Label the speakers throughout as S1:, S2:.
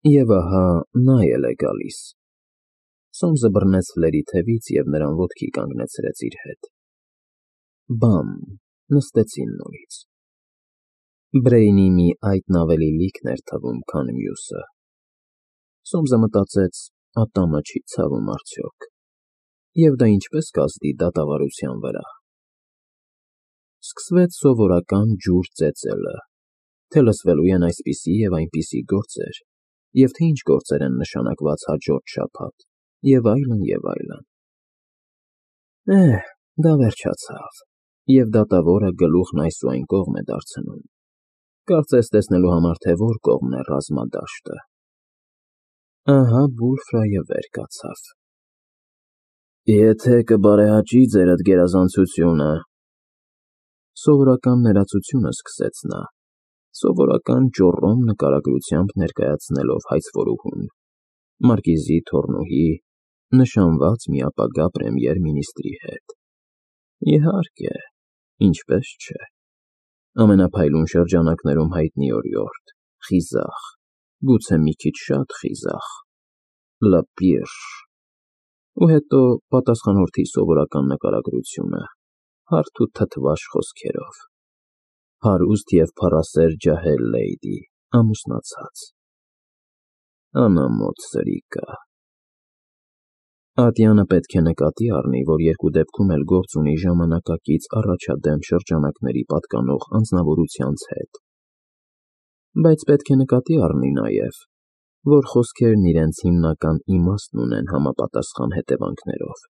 S1: Եվ ահա նա էլ է գալիս։ Սոմսը բռնեց Ֆլերի թևից և նրան ոտքի կանգնեցրեց իր հետ։ Բամ, նստեցին նորից։ Բրեյնի մի այտն ավելի լիքն էր թվում, քան մյուսը։ Սոմսը մտածեց, ատամը չի ցավում արդյոք, և դա ինչպես կազդի դատավարության վրա։ Սկսվեց սովորական ջուր ծեծելը, թե լսվելու են այսպիսի և այնպիսի գործեր, և թե ինչ գործեր են նշանակված հաջորդ շաբաթ, և այլն, և այլն։ Դա վերջացավ, և դատավորը գլուխն այս ու այն կողմ է դարձնում, կարծես տեսնելու համար, թե որ կողմն է ռազմադաշտը։ Ահա Վուլֆրայը վեր կացավ։ Եթե կբարեհաճի ձերդ գերազանցությունը, սովորական ներածությունը սկսեց նա, սովորական ճոռոմ նկարագրությամբ ներկայացնելով հայցվորուհուն, մարկիզի թոռնուհի, նշանված մի ապագա պրեմիեր֊մինիստրի հետ։ Իհարկե, ինչպես չէ, ամենափայլուն շրջանակներում հայտնի օրիորդ, խիզախ, գուցե մի քիչ շատ խիզախ, լպիրշ, ու հետո պատասխանորդի սովորական նկարագրությունը, հարթ ու թթվաշ խոսքերով, հարուստ և փառասեր ջահել լեյդի, ամուսնացած, անամոթ սրիկա։ Ատյանը պետք է նկատի առնի, որ երկու դեպքում էլ գործ ունի ժամանակակից առաջադեմ շրջանակների պատկանող անձնավորությանց հետ, բայց պետք է նկատի առնի նաև, որ խոսքերն իրենց հիմնական իմաստն ունեն համապատասխան հետևանքներով,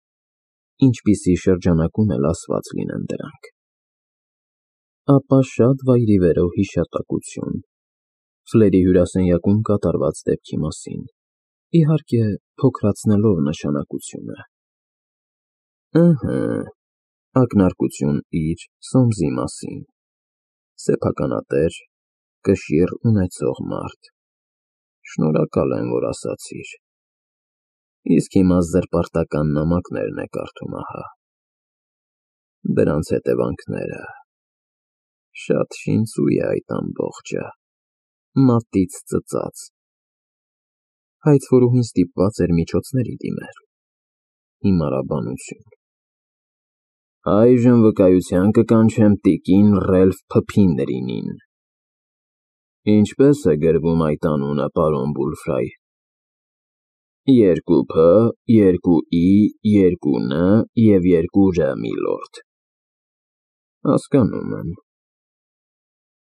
S1: ինչպիսի շրջանակում էլ ասված լինեն դրանք։ Ապա շատ վայրիվերո հիշատակություն Ֆլերի հյուրասենյակում կատարված դեպքի մասին, իհարկե, փոքրացնելով նշանակությունը։ Ակնարկություն իր Սոմսի մասին, սեփականատեր, կշիռ ունեցող մարդ, շնորհակալ եմ, որ ասացիր, իսկ հիմա զրպարտական նամակներն է կարդում, ահա, դրանց հետևանքները, շատ շինծու է այդ ամբողջը, մատից ծծած, հայցվորուհին ստիպված էր միջոցների դիմել, հիմարաբանություն։ Այժմ վկայության կկանչեմ տիկին Ռելֆ Փփինրինին։ Ինչպես է գրվում այդ անունը, պարոն Վուլֆրայ։ 2 Փ, 2 I, 2 Ն և 2 Ռ, միլորդ։ Հասկանում եմ։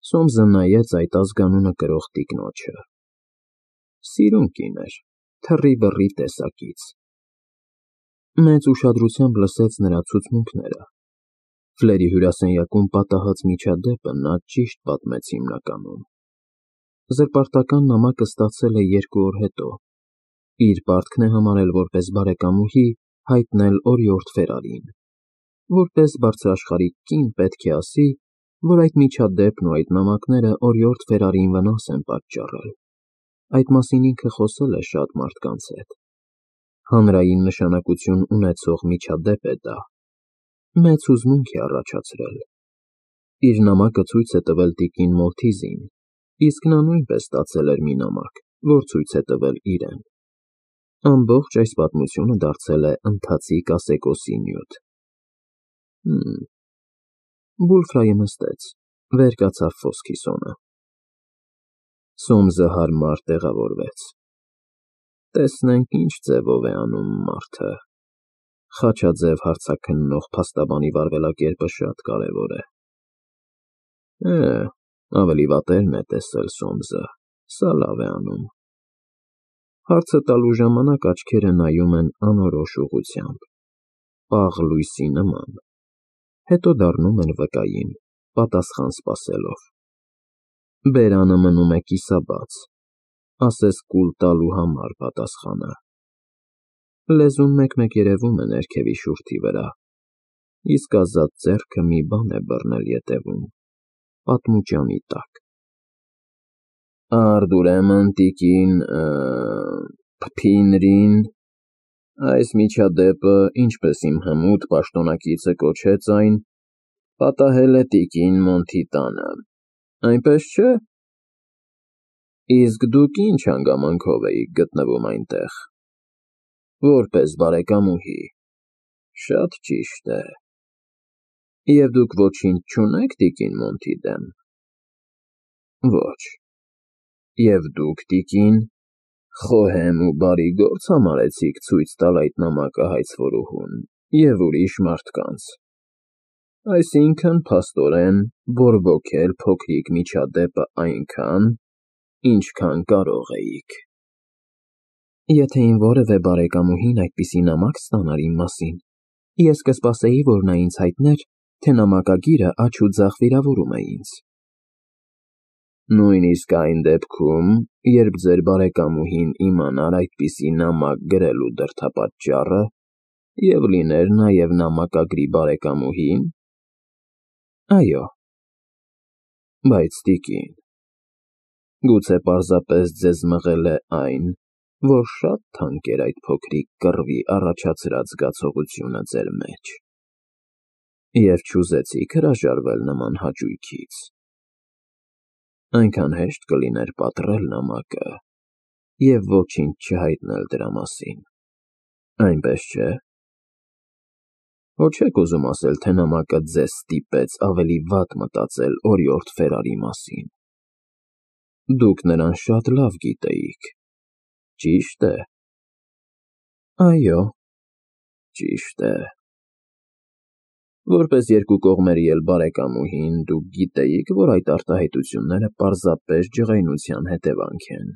S1: Սոմսը նայեց այդ ազգանունը կրող տիկնոջը։ Սիրուն կին էր, թռի-բռի տեսակից։ Մեծ ուշադրությամբ լսեց նրա ցուցմունքները։ Ֆլերի հյուրասենյակում պատահած միջադեպը նա ճիշտ պատմեց հիմնականում։ Զրպարտական նամակը ստացել է 2 օր հետո։ Իր պարտքն է համարել որպես բարեկամուհի հայտնել օրիորդ Ֆերարին։ Որպես բարձրաշխարհիկ կին պետք է ասի, որ այդ միջադեպն ու այդ նամակները օրիորդ Ֆերարին վնաս են պատճառել։ Այդ մասին ինքը խոսել է շատ մարդկանց հետ։ Հանրային նշանակություն ունեցող միջադեպ է դա։ Մեծ հուզմունք է առաջացրել։ Իր նամակը ցույց է տվել տիկին Մոլթիզին, իսկ նա նույնպես ստացել էր մի նամակ, որ ցույց է տվել իրեն։ Ամբողջ այս պատմությունը դարձել է ընթացիկ ասեկոսի նյութ։ Վուլֆրայը նստեց, վեր կացավ ֆոսքիսոնը։ Սոմսը հարմար տեղավորվեց։ Տեսնենք ինչ ձևով է անում մարդը։ Խաչաձև հարցաքննող փաստաբանի վարվելակերպը շատ կարևոր է։ Ավելի վատերն է տեսել Սոմսը, սա լավ է անում։ Հարցը տալու ժամանակ աչքերը նայում են անորոշ ուղղությամբ, պաղ լույսի նման, հետո դառնում են վկային, պատասխան սպասելով։ Բերանը մնում է կիսաբաց, ասես կուլ տալու համար պատասխանը։ Լեզուն մեկ-մեկ երևում է ներքևի շուրթի վրա, իսկ ազատ ձեռքը մի բան է բռնել ետևում, պատմուճանի տակ։ Արդ ուրեմն տիկին Փփինրին, այս միջադեպը, ինչպես իմ հմուտ պաշտոնակիցը կոչեց այն, պատահել է տիկին Մոնթի տանը, այնպես չէ։ Իսկ դուք ինչ հանգամանքով էիք գտնվում այնտեղ։ Որպես բարեկամուհի։ Շատ ճիշտ է։ Եվ դուք ոչինչ չունեք տիկին Մոնտի դեմ։ Ոչ։ Եվ դուք, տիկին, խոհեմ ու բարի գործ համարեցիք ցույց տալ այդ նամակը հայցվորուհուն և ուրիշ մարդկանց։ Այսինքն, փաստորեն, բորբոքել փոքրիկ միջադեպը այնքան, ինչքան կարող էիք։ Եթե իմ որևէ բարեկամուհին այդպիսի նամակ ստանար իմ մասին, ես կսպասեի, որ նա ինձ հայտներ, թե նամակագիրը աջ ու ձախ վիրավորում է ինձ։ Նույնիսկ այն դեպքում, երբ ձեր բարեկամուհին իմանար այդպիսի նամակ գրելու դրդապատճառը և լիներ նաև նամակագրի բարեկամուհին։ Այո։ Բայց, տիկին, գուցե պարզապես ձեզ մղել է այն, որ շատ թանկ էր այդ փոքրիկ կռվի առաջացրած զգացողությունը ձեր մեջ, և չուզեցիք հրաժարվել նման հաճույքից։ Այնքան հեշտ կլիներ պատռել նամակը և ոչինչ չհայտնել դրա մասին, այնպես չէ՞։ Հո չեք ուզում ասել, թե նամակը ձեզ ստիպեց ավելի վատ մտածել օրիորդ Ֆերարի մասին։ Դուք նրան շատ լավ գիտեիք, ճի՞շտ է։ Այո, ճիշտ է։ Որպես երկու կողմերի էլ բարեկամուհին, դուք գիտեիք, որ այդ արտահայտությունները պարզապես ջղայնության հետևանք են,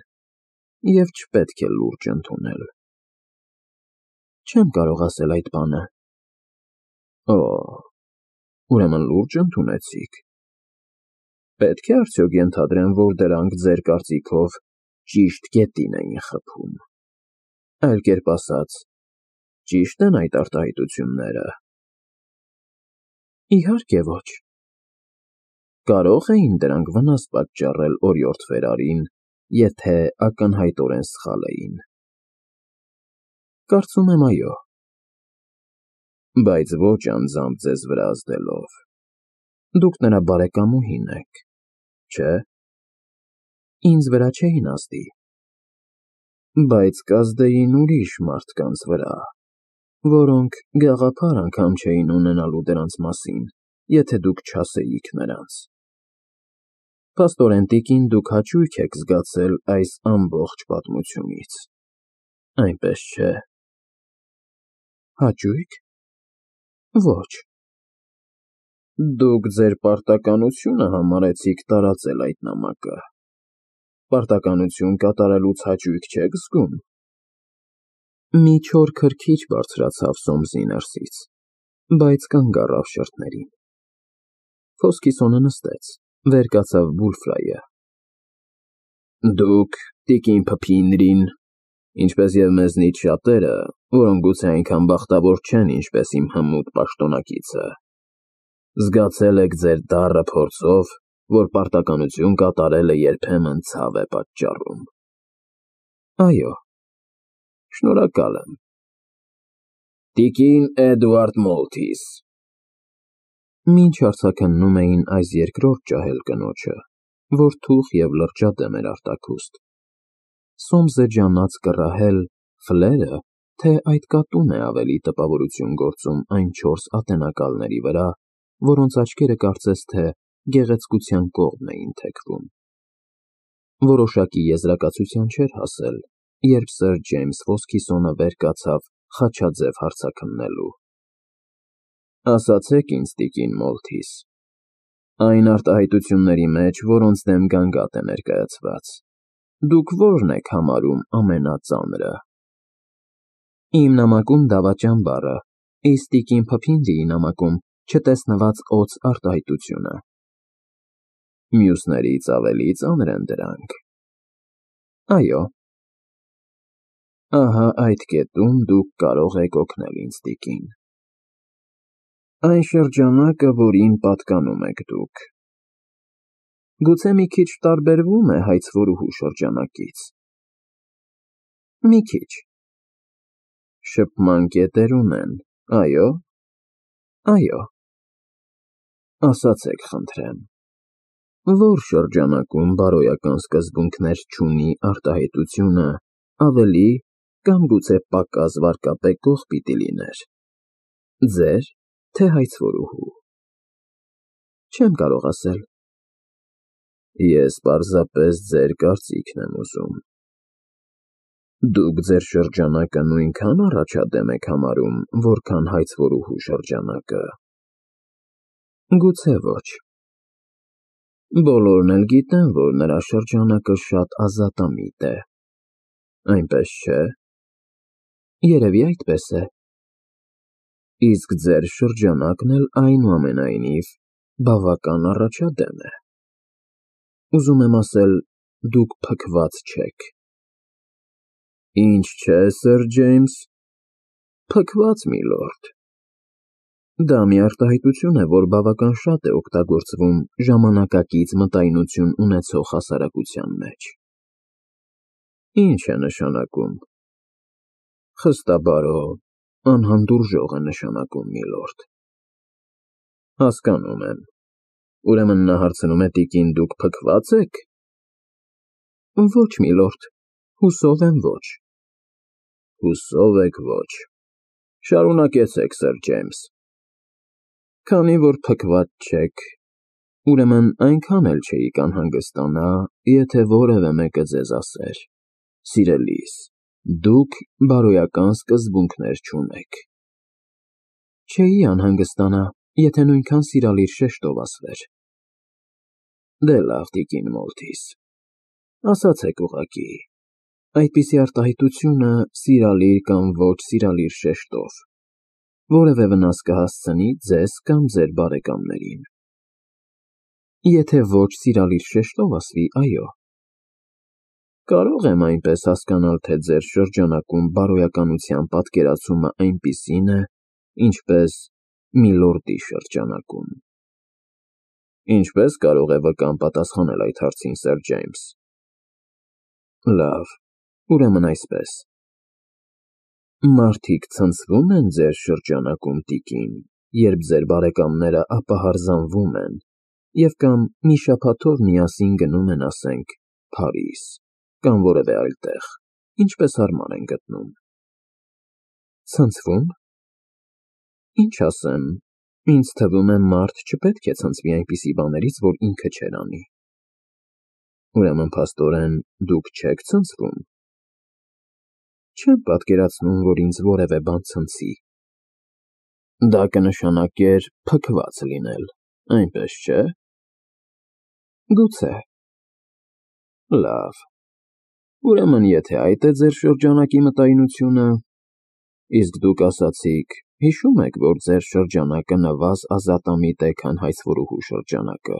S1: և չպետք է լուրջ ընդունել։ Չեմ կարող ասել այդ բանը։ Օ, ուրեմն լուրջ ընդունեցիք։ Պետք է արդյոք ենթադրեմ, որ դրանք ձեր կարծիքով ճիշտ կետին էին խփում։ Այլ կերպ ասած, ճի՞շտ են այդ արտահայտությունները։ Իհարկե ոչ։ Կարո՞ղ էին դրանք վնաս պատճառել օրիորդ Ֆերարին, եթե ակնհայտորեն սխալ էին։ Կարծում եմ, այո։ Բայց ոչ անձամբ ձեզ վրա ազդելով։ Դուք նրա բարեկամուհին եք, չէ՞։ Ինձ վրա չէին ազդի։ Բայց կազդեին ուրիշ մարդկանց վրա, որոնք գաղափար անգամ չէին ունենալու դրանց մասին, եթե դուք չասեիք նրանց։ Փաստորեն, տիկին, դուք հաճույք եք զգացել այս ամբողջ պատմությունից, այնպես չէ՞։ Հաճույք։ Ոչ։ Դուք ձեր պարտականությունը համարեցիք տարածել այդ նամակը։ Պարտականություն կատարելուց հաճույք չեք զգում։ Մի չոր քրքիջ բարձրացավ Սոմսի ներսից, բայց կանգ առավ շրթերին։ Ֆոսքիսոնը նստեց, վեր կացավ Բուլֆրայը։ Դուք, տիկին Փփինրին, ինչպես և մեզնից շատերը, որոնք գուցե այնքան բախտավոր չեն, ինչպես իմ հմուտ պաշտոնակիցը, զգացել եք ձեր դառը փորձով, որ պարտականություն կատարելը երբեմն ցավ է պատճառում։ Այո։ Շնորհակալ եմ։ Տիկին Էդվարդ Մոլթիս։ Մինչ հարցաքննում էին այս երկրորդ ջահել կնոջը, որ թուխ և լրջադեմ էր արտաքուստ, Սոմսը ջանաց կռահել Ֆլերը, թե այդ կատուն է ավելի տպավորություն գործում այն 4 ատենակալների վրա, որոնց աչքերը կարծես թե գեղեցկության կողմն էին թեքվում։ Որոշակի եզրակացության չէր հասել, երբ սըր Ջեյմս Ֆոսքիսոնը վեր կացավ խաչաձև հարցաքննելու։ Ասացեք ինձ, տիկին Մոլթիս, այն արտահայտությունների մեջ, որոնց դեմ գանգատ է ներկայացված, դուք ո՞րն եք համարում ամենածանրը։ Իմ նամակում դավաճան բառը, իսկ տիկին Փփինրիի նամակում չտեսնված օձ արտահայտությունը։ Մյուսներից ավելի ծանր են դրանք։ Այո։ Ահա այդ կետում դուք կարող եք օգնել ինձ, տիկին։ Այն շրջանակը, որին պատկանում եք դուք, գուցե մի քիչ տարբերվում է հայցվորուհու շրջանակից։ Մի քիչ։ Շփման կետեր ունեն, այո։ Այո։ Ասացեք, խնդրեմ, որ շրջանակում բարոյական սկզբունքներ չունի արտահայտությունը, ավելի կամ գուցե պակաս վարկապետող պիտի լիներ։ Ձեր, թե հայցվորուհու։ Չեմ կարող ասել։ Ես պարզապես ձեր կարծիքն եմ ուզում։ Դուք ձեր շրջանակը նույնքան առաջադեմ եք համարում, որքան հայցվորուհու շրջանակը։ Գուցե ոչ։ Բոլորն էլ գիտեն, որ նրա շրջանակը շատ ազատամիտ է։ Այնպես չէ։ Երևի այդպես է։ Իսկ ձեր շրջանակն էլ այնուամենայնիվ բավական առաջադեմ է։ Ուզում եմ ասել, դուք փքված չեք։ Ինչ չէ, սըր Ջեյմս, փքված, միլորդ։ Դա մի արտահայտություն է, որ բավական շատ է օգտագործվում ժամանակակից մտայնություն ունեցող հասարակության մեջ։ Ինչ է նշանակում։ Խստաբարո, անհանդուրժող է նշանակում, միլորդ։ Հասկանում եմ։ Ուրեմն նա հարցնում է տիկին, դուք փքված եք։ Ոչ, միլորդ, հուսով եմ ոչ։ Հուսով եք ոչ։ Շարունակեցեք, սըր Ջեյմս։ Քանի որ փքված չեք, ուրեմն այնքան էլ չէիք անհանգստանա, եթե որևէ մեկը ձեզ ասեր. սիրելիս, դուք բարոյական սկզբունքներ չունեք։ Չէի անհանգստանա, եթե նույնքան սիրալիր շեշտով ասվեր։ Դե լավ, տիկին Մոլթիս, ասացեք ուղղակի, այդպիսի արտահայտությունը սիրալիր կամ ոչ սիրալիր շեշտով, որևէ վնաս կհասցնի ձեզ կամ ձեր բարեկամներին։ Եթե ոչ սիրալիր շեշտով ասվի, այո։ Կարող եմ այնպես հասկանալ, թե ձեր շրջանակում բարոյականության պատկերացումը այնպիսին է, ինչպես միլորդի շրջանակում։ Ինչպես կարող է վկան պատասխանել այդ հարցին, սըր Ջեյմս։ Լավ, ուրեմն այսպես։ Մարդիկ ցնցվում են ձեր շրջանակում, տիկին, երբ ձեր բարեկամները ապահարզանվում են և կամ մի շաբաթով միասին գնում են, ասենք, Փարիզ կամ որևէ այլ տեղ, ինչպես հարմար են գտնում։ Ցնցվում։ Ինչ ասեմ, ինձ թվում է մարդ չպետք է ցնցվի այնպիսի բաներից, որ ինքը չէր անի։ Ուրեմն փաստորեն դուք չեք ցնցվում։ Չեմ պատկերացնում, որ ինձ որևէ բան ցնցի։ Դա կնշանակեր փքված լինել, այնպես չէ։ Գուցե։ Լավ։ Ուրեմն եթե այդ է ձեր շրջանակի մտայնությունը, իսկ դուք ասացիք, հիշում եք, որ ձեր շրջանակը նվազ ազատամիտ է, քան հայցվորուհու շրջանակը։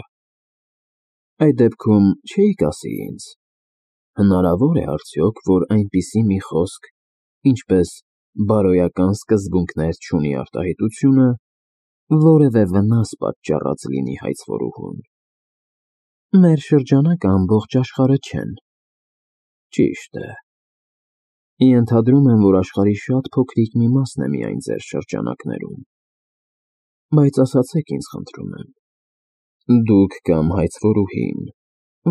S1: Այդ դեպքում չէիք ասի ինձ. հնարավոր է արդյոք, որ այնպիսի մի խոսք, ինչպես բարոյական սկզբունքներ չունի արտահայտությունը, որևէ վնաս պատճառած լինի հայցվորուհուն։ Մեր շրջանակը ամբողջ աշխարհը չեն։ Ճիշտ է։ Ենթադրում եմ, որ աշխարհի շատ փոքրիկ մի մասն է միայն ձեր շրջանակներում։ Բայց ասացեք ինձ, խնդրում եմ, դուք կամ հայցվորուհին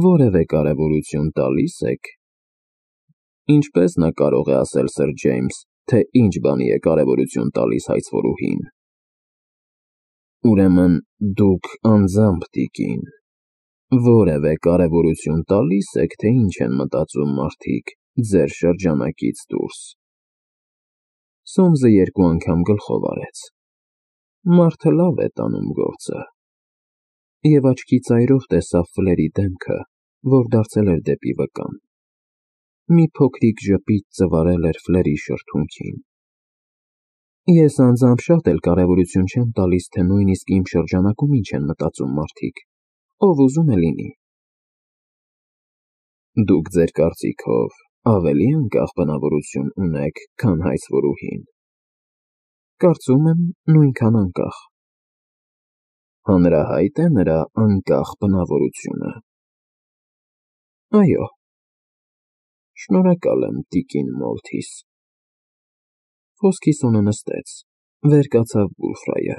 S1: որևէ կարևորություն տալի՞ս եք։ Ինչպես նա կարող է ասել, սըր Ջեյմս, թե ինչ բանի է կարևորություն տալիս հայցվորուհին։ Ուրեմն դուք անձամբ, տիկին, որևէ կարևորություն տալի՞ս եք, թե ինչ են մտածում մարդիկ ձեր շրջանակից դուրս։ Սոմսը երկու անգամ գլխով արեց։ Մարդը լավ է տանում գործը։ Եվ աչքի ծայրով տեսավ Ֆլերի դեմքը, որ դարձել էր դեպի վկան։ Մի փոքրիկ ժպիտ ծվարել էր Ֆլերի շրթունքին։ Ես անձամբ շատ էլ կարևորություն չեմ տալիս, թե նույնիսկ իմ շրջանակում ինչ են մտածում մարդիկ, ով ուզում է լինի։ Դուք ձեր կարծիքով ավելի անկախ բնավորություն ունեք, քան հայցվորուհին։ Կարծում եմ, նույնքան անկախ։ Հանրահայտ է նրա անկախ բնավորությունը։ Այո։ Շնորհակալ եմ, տիկին Մոլթիս։ Խոսքիսոնը նստեց, վեր կացավ Բուլֆրայը։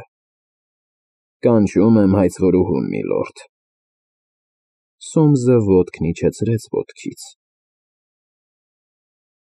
S1: Կանչում եմ հայցվորուհուն, միլորդ։ Սոմսը ոտքն իջեցրեց ոտքից։